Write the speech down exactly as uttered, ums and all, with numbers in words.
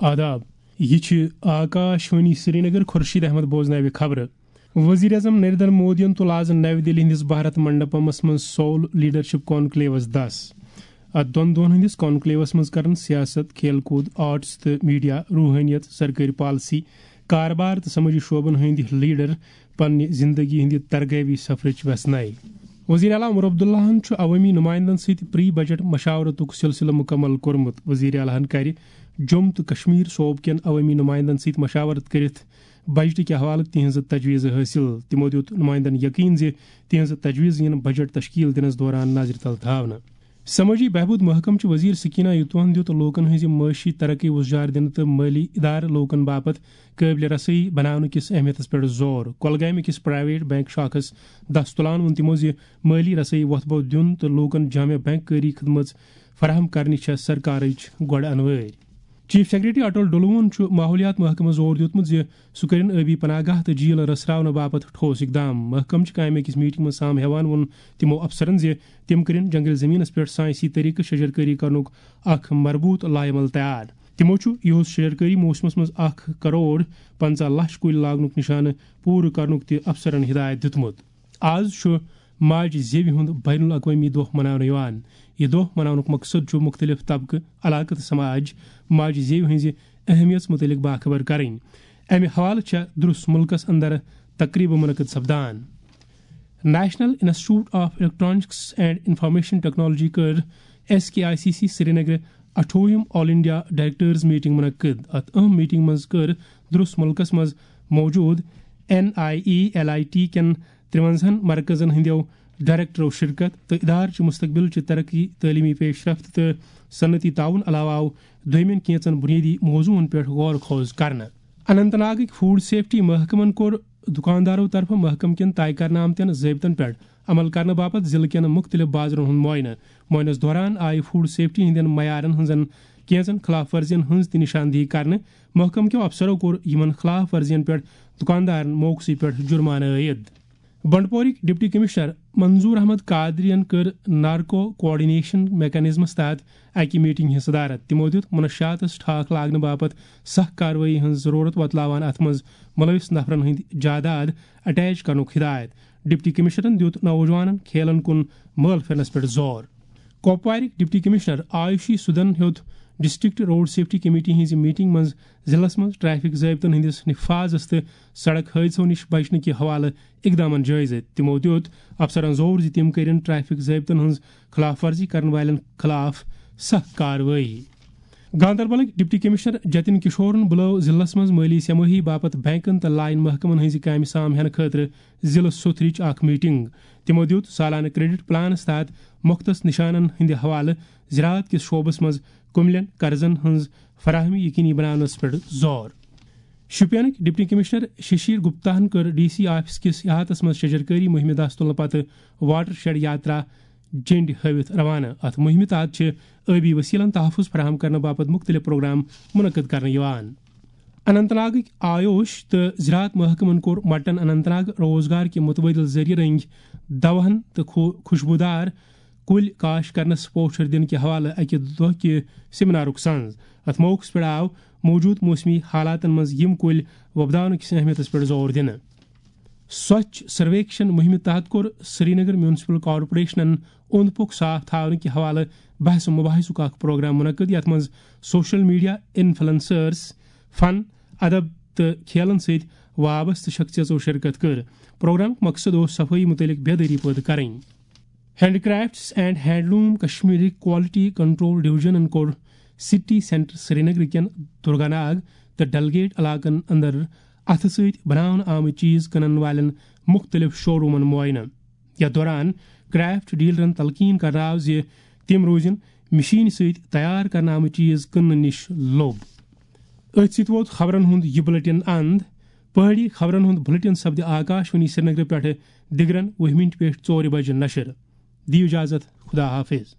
آداب، یہِ چھِ آکاشوانی سرینگر۔ خورشید احمد بوزناوِ خبرٕ۔ وزیر اعظم نریندر مودیَن تُل آز نَوِ دِلہِ ہٕنٛدِس بھارت منڈپمس منٛز سول لیڈرشپ کانکلیوس دَس۔ اَتھ دۄن دۄہَن ہٕنٛدِس کانکلیوس منٛز کرن سیاست، کھیل کوٗد، آرٹس تہٕ میڈیا، روحٲنیت، سرکٲرۍ پالیسی، کارٕبار تہٕ سمٲجی شعبن ہٕنٛدۍ لیڈر پننہِ زندگی ہٕنٛدِ ترغیبی سفرٕچ ویژھناے۔ وزیر اعلیٰ عمر عبداللہَن چھُ عوٲمی نمائندن سۭتۍ پری بجٹ مشاورتُک سلسلہٕ مکمل کوٚرمُت۔ وزیر اعلیٰ ہَن کرِ جوٚم تہٕ کشمیر صوبہٕ کٮ۪ن عوٲمی نمائندن سۭتۍ مشاورت کٔرِتھ بجٹٕکۍ حوالہٕ تِہنٛزٕ تجویٖزٕ حٲصِل۔ تِمو دیُت نمائندن یقین زِ تِہنٛزٕ تجویٖزٕ یِن بجٹ تشکیل دِنس دوران نظرِ تل تھاونہٕ۔ سمٲجی بہبود محکمہٕ چہِ وزیر سکینہ یوتوہَن دیُت لوٗکَن ہٕنٛزِ معاشی ترقی وُژھجار دِنہٕ تہٕ مٲلی ادارٕ لوٗکَن باپتھ قٲبلِ رسٲیی بناونہٕ کِس اہمیتَس پٮ۪ٹھ زور۔ کۄلگامہِ کِس پرائیویٹ بینک شاخس دَس تُلان ووٚن تِمو زِ مٲلی رسٲیی وۄتھٕ بوٚو دیُن تہٕ لوٗکَن جامع بینک کٲری خدمژ فراہم کرنٕچ چھےٚ سرکارٕچ گۄڈٕ انوٲرۍ۔ چیف سیکرٹری اٹل ڈولوہَن چھُ ماحولیات محکمس زور دیُتمُت زِ سُہ کٔرِن ٲبی پناہ گاہ تہٕ جھیٖل رژھراونہٕ باپتھ ٹھوس اقدام۔ محکمہٕ چہِ کامہِ أکِس میٹنگ منٛز سام ہیوان ووٚن تِمو افسرن زِ تِم کٔرِن جنگل زمینس پٮ۪ٹھ سائنسی طریقہٕ شجرکاری کرنُک اکھ مربوط لائحہ عمل تیار۔ تِمو چھُ یِہُس شجرکاری موسمس منٛز اکھ کرور پنژاہ لچھ کُلۍ لاگنُک نشانہٕ پوٗرٕ کرنُک تہِ افسرن ہدایت دیُتمُت۔ آز چھُ ماجہِ زیوِ ہُنٛد بین الاقوٲمی دۄہ مناونہٕ یِوان۔ یہِ دۄہ مناونُک مقصد چھُ مُختٔلِف طبقہٕ، علاقہٕ تہٕ سماج ماجہِ زیوِ ہٕنٛزِ اہمیت مُتعلق باخبر کرٕنۍ۔ امہِ حوالہٕ چھےٚ درس مُلکس اندر تقریبہٕ منعقد سپدان۔ National Institute of Electronics and Information Technology کٔر S K I C C سرینگرٕ اَٹھووُہِم آل انڈیا ڈائریکٹرز میٹنگ منعقد۔ اتھ اہم میٹنگ منٛز کٔر درس مُلکس منٛز موجود N I E L I T کٮ۪ن ترٛوَنزاہَن مرکزن ہٕنٛدیو ڈائریکٹرو شرکت تہٕ ادارٕ چہِ مستقبل چہِ ترقی، تعلیمی پیشرفت تہٕ صنعتی تعاون علاوٕ آو دوٚیمٮ۪ن کینٛژن بُنیٲدی موضوعن پٮ۪ٹھ غور خوض کرنہٕ۔ اننت ناگٕکۍ فوڈ سیفٹی محکمن کوٚر دُکاندارو طرفہٕ محکمہٕ کٮ۪ن طے کرنہٕ آمتٮ۪ن ضٲبطن پٮ۪ٹھ عمل کرنہٕ باپتھ ضلعہٕ کٮ۪ن مُختٔلِف بازرن ہُنٛد معائنہٕ۔ معائنس دوران آیہِ فوڈ سیفٹی ہٕنٛدٮ۪ن معیارن ہٕنٛزن کینٛژن خلاف ورزین ہٕنٛز تہِ نشاندہی کرنہٕ۔ محکمہٕ کٮ۪و افسرو کوٚر یِمن خلاف ورزین پٮ۪ٹھ دُکاندارن موقعسٕے پٮ۪ٹھ جُرمانہٕ عٲید۔ بنڈپورٕکۍ ڈپٹی کمشنر منظور احمد قادریَن کٔر نارکو کوآرڈینیشن میکانزمس تحت اکہِ میٹنگ ہٕنٛز صدارت۔ تِمو دیُت منشیاتس ٹھاکھ لاگنہٕ باپتھ سخ کاروٲیی ہٕنٛز ضروٗرت وۄتلاوان اتھ منٛز مُلوث نفرن ہٕنٛدۍ جائیداد اٹیچ کرنُک ہدایت۔ ڈپٹی کمشنرن دیُت نوجوانن کھیلن کُن مٲل پھِرنس پٮ۪ٹھ زور۔ کۄپوارٕکۍ ڈپٹی کمشنر آیوشی سودن ہیوٚت ڈسٹرکٹ روڈ سیفٹی کمیٹی ہٕنٛزِ میٹنگ منٛز ضلعس منٛز ٹریفک ضٲبطن ہٕنٛدِس نفاذس تہٕ سڑک حٲدثو نِش بچنہٕ کہِ حوالہٕ اقدامن جٲیزٕ۔ تِمو دیُت افسرن زور زِ تِم کٔرِن ٹریفک ضٲبطن ہٕنٛز خلاف ورزی کرن والٮ۪ن خلاف سخ کاروٲیی۔ گاندربلٕکۍ ڈپٹی کمشنر جتن کشورن بُلٲو ضلعس منٛز مٲلی سہ مٲہی باپتھ بینکن تہٕ لائن محکمن ہٕنٛزِ کامہِ سام ہینہٕ خٲطرٕ ضلعہٕ سوٚتھرٕچ اکھ میٹنگ۔ تِمو دیُت سالانہٕ کریڈٹ پلانس تحت مختص نشانن ہٕنٛدِ حوالہٕ زراعت کِس شعبس منٛز کُملٮ۪ن قرضن ہٕنٛز فراہمی یقینی بناونس پٮ۪ٹھ زور۔ شوپینٕکۍ ڈپٹی کمشنر ششیر گپتاہن کٔر ڈی سی آفس کِس احاطس منٛز شجرکاری مُہِمہِ دَس تُلنہٕ پتہٕ واٹر شیڈ یاترا جنڈ ہٲوِتھ روانہٕ۔ اتھ مُہِمہِ تحت چھِ ٲبی وسیلن تحفظ فراہم کرنہٕ باپتھ مُختٔلِف پروگرام منعقد کرنہٕ یِوان۔ اننت ناگٕکۍ آیوش تہٕ زراعت محکمن کوٚر مٹن اننت ناگ روزگار کہِ متبادل ذٔریعہٕ رٔنگۍ دواہن تہٕ خو-، خوشبودار کُلۍ کاشت کرنس پوچھر دِنہٕ کہِ حوالہٕ اکہِ دۄہ کہِ سیمینارُک سنز۔ اتھ موقعس پٮ۪ٹھ آو موجود موسمی حالاتن منٛز یِم کُلۍ وۄپداونہٕ کِس اہمیتس پٮ۪ٹھ زور دِنہٕ۔ سوچھ سرویکشن مُہِمہِ تحت کوٚر سرینگر میونسپل کارپوریشنن اوٚنٛد پوٚک صاف تھاونہٕ کہِ حوالہٕ بحث و مباحثُک اکھ پروگرام منعقد، یتھ منٛز سوشل میڈیا انفلوئنسرز، فن، ادب تہٕ کھیلن سۭتۍ وابستہٕ شخصیژو شرکت کٔر۔ پروگرامُک مقصد اوس صفٲیی متعلق بیدٲری پٲدٕ کرٕنۍ۔ Handicrafts and Handloom Kashmir Quality Control Division کوٚر سٹی سینٹر سرینگر کٮ۪ن درگاناگ تہٕ ڈلگیٹ علاقن اندر اتھٕ سۭتۍ بناونہٕ آمٕتۍ چیز کٕنن والٮ۪ن مُختٔلِف شورومن معائنہٕ۔ یتھ دوران کرافٹ ڈیلرن تلقین کرنہٕ آو زِ تِم روزن مشینہِ سۭتۍ تیار کرنہٕ آمٕتۍ چیز کٕننہٕ نِش لوٚب۔ أتھۍ سۭتۍ ووت خبرن ہُنٛد یہِ بلیٹن اند۔ پہٲڑی خبرن ہُنٛد بلیٹن سپدِ آکاشوانی سرینگرٕ پٮ۪ٹھٕ دِگرن وُہہِ مِنٹہِ پٮ۪ٹھ ژورِ بجہِ نشر۔ دِیِو اجازت، خدا حافظ۔